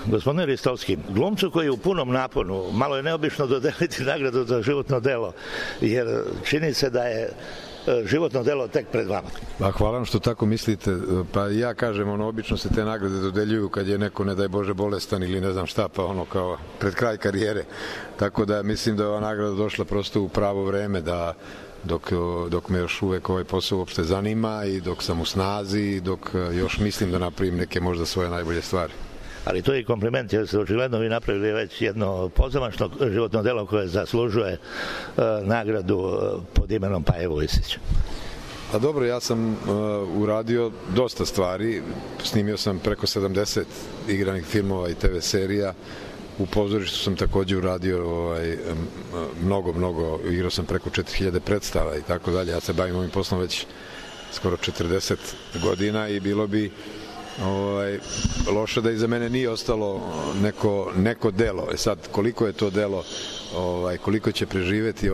Gospodine Ristovski, glumcu koji je u punom naponu, malo je neobično dodeliti nagradu za životno delo, jer čini se da je životno delo tek pred vama. Hvala vam što tako mislite. Pa ja kažem, obično se te nagrade dodeljuju kad je neko, ne daj Bože, bolestan ili ne znam šta, pa kao pred kraj karijere. Tako da mislim da je ova nagrada došla prosto u pravo vreme, da dok me još uvek ovaj posao uopšte zanima i dok sam u snazi i dok još mislim da napravim neke možda svoje najbolje stvari. Ali to je i kompliment, jer ste očigledno vi napravili već jedno pozamašno životno delo koje zaslužuje nagradu pod imenom Paje Vujsić. A dobro, ja sam uradio dosta stvari, snimio sam preko 70 igranih filmova i TV serija, u pozorištu sam takođe uradio mnogo, igrao sam preko 4000 predstava i tako dalje. Ja se bavim ovim poslom već skoro 40 godina i bilo bi loše da iza mene nije ostalo neko delo. Sad, koliko je to delo, koliko će preživeti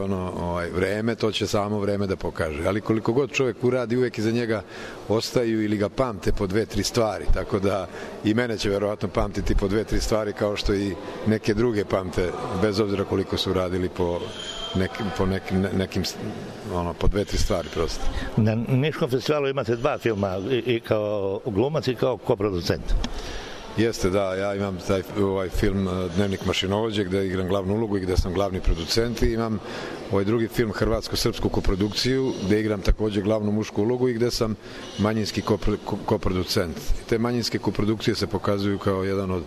vreme, to će samo vreme da pokaže. Ali koliko god čovjek uradi, uvek iza njega ostaju ili ga pamte po 2-3 stvari. Tako da i mene će verovatno pamtiti po 2-3 stvari, kao što i neke druge pamte, bez obzira koliko su radili po 2-3 stvari prosto. Na Niškom festivalu imate 2 filma, i kao glumac i kao koproducent. Jeste, da, ja imam taj film Dnevnik mašinovođe, gde igram glavnu ulogu i gde sam glavni producent, i imam drugi film Hrvatsko-srpsku koprodukciju, gde igram takođe glavnu mušku ulogu i gde sam manjinski koproducent. Te manjinske koprodukcije se pokazuju kao jedan od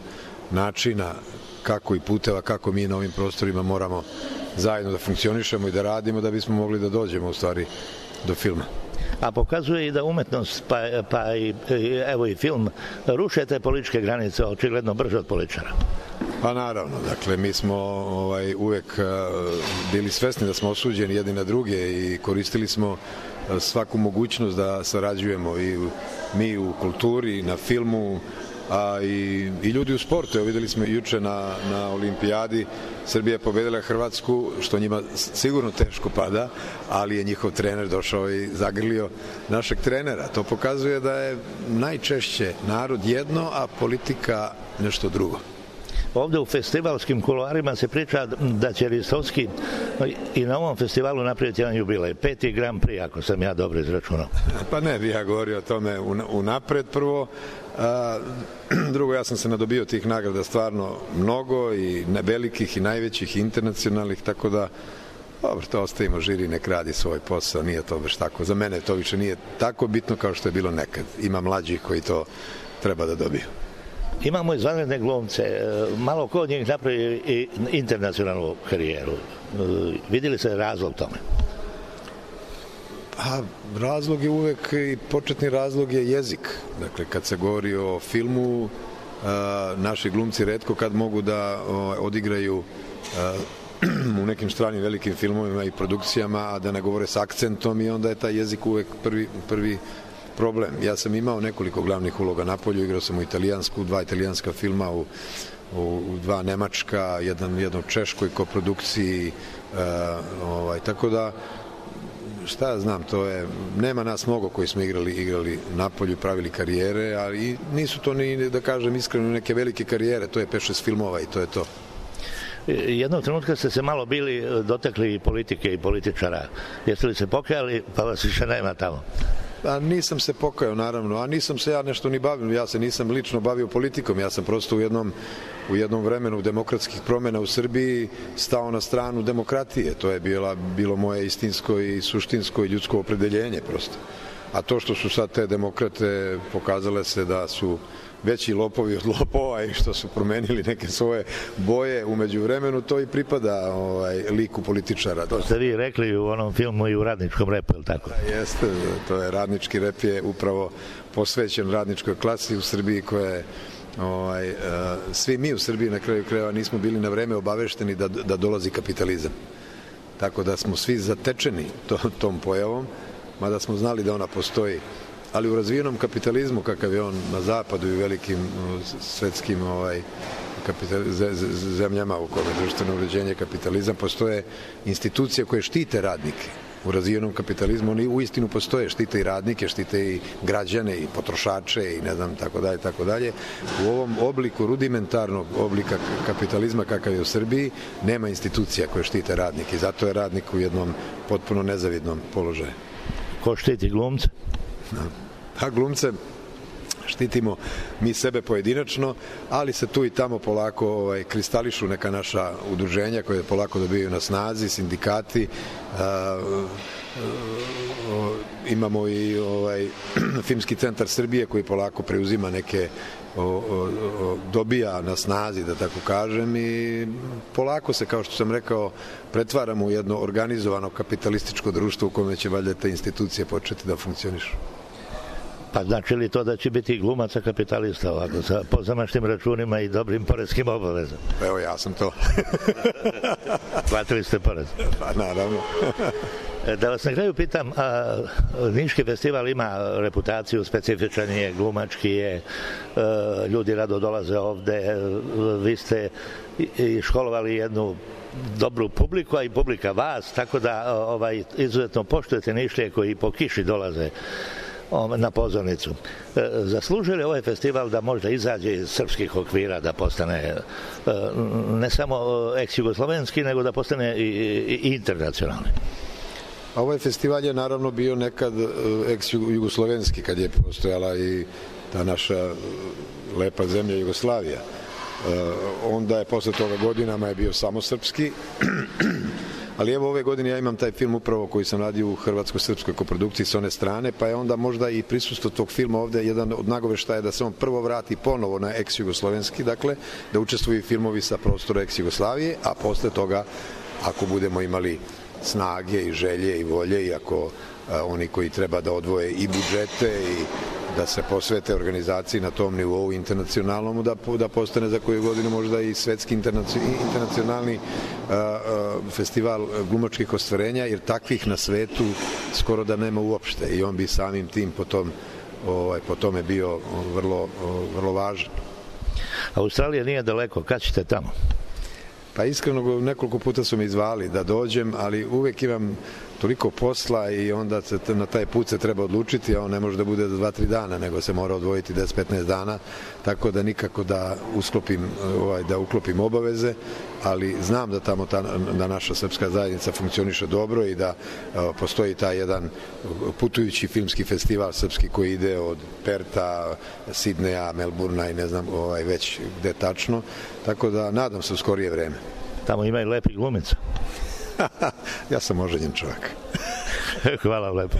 načina kako i puteva, kako mi na ovim prostorima moramo zajedno da funkcionišemo i da radimo da bismo mogli da dođemo u stvari do filma. A pokazuje i da umetnost, pa i film, ruše te političke granice očigledno brže od političara. Pa naravno, dakle, mi smo uvek bili svesni da smo osuđeni jedni na druge i koristili smo svaku mogućnost da sarađujemo i mi u kulturi, na filmu, a i ljudi u sportu. Evo, videli smo juče na olimpijadi, Srbija je pobedila Hrvatsku, što njima sigurno teško pada, ali je njihov trener došao i zagrlio našeg trenera. To pokazuje da je najčešće narod jedno, a politika nešto drugo. Ovde u festivalskim kuloarima se priča da će Ristovski i na ovom festivalu napraviti jedan jubilej, 5. Grand Prix, ako sam ja dobro izračunao. Pa ne bih ja govorio o tome unapred prvo. Drugo, ja sam se nadobio tih nagrada stvarno mnogo, i velikih i najvećih i internacionalnih, tako da dobro, to ostavimo žiri, nek radi svoj posao, nije to baš tako. Za mene to više nije tako bitno kao što je bilo nekad. Ima mlađih koji to treba da dobiju. Imamo izvanredne glumce, malo ko od njih napravi i internacionalnu karijeru. Videli se razlog tome? Pa, razlog je uvek, i početni razlog je jezik. Dakle, kad se govori o filmu, naši glumci retko kad mogu da odigraju u nekim stranim velikim filmovima i produkcijama, a da ne govore s akcentom, i onda je taj jezik uvek prvi problem. Ja sam imao nekoliko glavnih uloga napolju, igrao sam u italijansku, 2 italijanska filma, u 2 nemačka, jedno češkoj koprodukciji, tako da šta ja znam, nema nas mnogo koji smo igrali napolju, pravili karijere, ali nisu to ni, da kažem iskreno, neke velike karijere, to je 5-6 filmova i to je to. Jednog trenutka ste se malo bili dotakli i politike i političara. Jeste li se pokajali, pa vas više nema tamo? A nisam se pokajao, naravno, a nisam se ja nešto ni bavio, ja se nisam lično bavio politikom, ja sam prosto u jednom vremenu demokratskih promena u Srbiji stao na stranu demokratije. To je bilo moje istinsko i suštinsko i ljudsko opredeljenje prosto. A to što su sad te demokrate pokazale se da su veći lopovi od lopova i što su promenili neke svoje boje umeđu vremenu, to i pripada liku političara. To ste vi rekli u onom filmu i u radničkom repu, ili tako? Jeste, to je radnički rep, je upravo posvećen radničkoj klasi u Srbiji, koja je svi mi u Srbiji na kraju krajeva nismo bili na vreme obavešteni da dolazi kapitalizam. Tako da smo svi zatečeni tom pojavom, mada smo znali da ona postoji. Ali u razvijenom kapitalizmu, kakav je on na zapadu i velikim svetskim zemljama u kome društveno uređenje kapitalizam, postoje institucije koje štite radnike. u razvijenom kapitalizmu oni uistinu postoje, štite i radnike, štite i građane i potrošače i ne znam, tako dalje. U ovom obliku, rudimentarnog oblika kapitalizma kakav je u Srbiji, nema institucija koje štite radnike i zato je radnik u jednom potpuno nezavidnom položaju. Ko štiti glumce? A glumce štitimo mi sebe pojedinačno, ali se tu i tamo polako kristališu neka naša udruženja koje polako dobijaju na snazi, sindikati, imamo i Filmski centar Srbije koji polako preuzima neke, dobija na snazi, da tako kažem, i polako se, kao što sam rekao, pretvaramo u jedno organizovano kapitalističko društvo u kome će valjda te institucije početi da funkcionišu. Pa znači li to da će biti glumaca kapitalista ovako, sa pozamašnim računima i dobrim poreskim obavezama? Evo, ja sam to. Platili ste porez? Pa, naravno. Da vas na kraju pitam, Niški festival ima reputaciju, specifičan je, glumački je, ljudi rado dolaze ovde, vi ste i školovali jednu dobru publiku, a i publika vas, tako da izuzetno poštujete Nišlije koji po kiši dolaze na pozornicu. Zaslužuje li ovaj festival da možda izađe iz srpskih okvira, da postane ne samo ex-jugoslovenski, nego da postane i internacionalni? Ovaj festival je naravno bio nekad ex-jugoslovenski, kad je postojala i ta naša lepa zemlja Jugoslavija. Onda je posle toga godinama je bio samo srpski, ali evo ove godine ja imam taj film upravo koji sam radio u hrvatsko-srpskoj koprodukciji s one strane, pa je onda možda i prisustvo tog filma ovde jedan od nagoveštaja da se on prvo vrati ponovo na ex-jugoslovenski, dakle, da učestvuju filmovi sa prostora ex-Jugoslavije, a posle toga, ako budemo imali snage i želje i volje, i ako oni koji treba da odvoje i budžete i da se posvete organizaciji na tom nivou internacionalnom, da postane za koju godinu možda i svetski internacionalni festival glumačkih ostvarenja, jer takvih na svetu skoro da nema uopšte i on bi samim tim po tome bio vrlo važan. Australija nije daleko, kad ćete tamo? Pa iskreno, nekoliko puta su me izvali da dođem, ali uvek imam toliko posla i onda se na taj put se treba odlučiti, a on ne može da bude za 2-3 dana, nego se mora odvojiti 10-15 dana, tako da nikako da uklopim obaveze, ali znam da tamo da naša srpska zajednica funkcioniše dobro i da postoji taj jedan putujući filmski festival srpski koji ide od Perta, Sidneja, Melburna i ne znam već gde tačno, tako da nadam se u skorije vreme. Tamo ima i lepi glumica. Ja sam oženjen čovjek. Hvala lepo.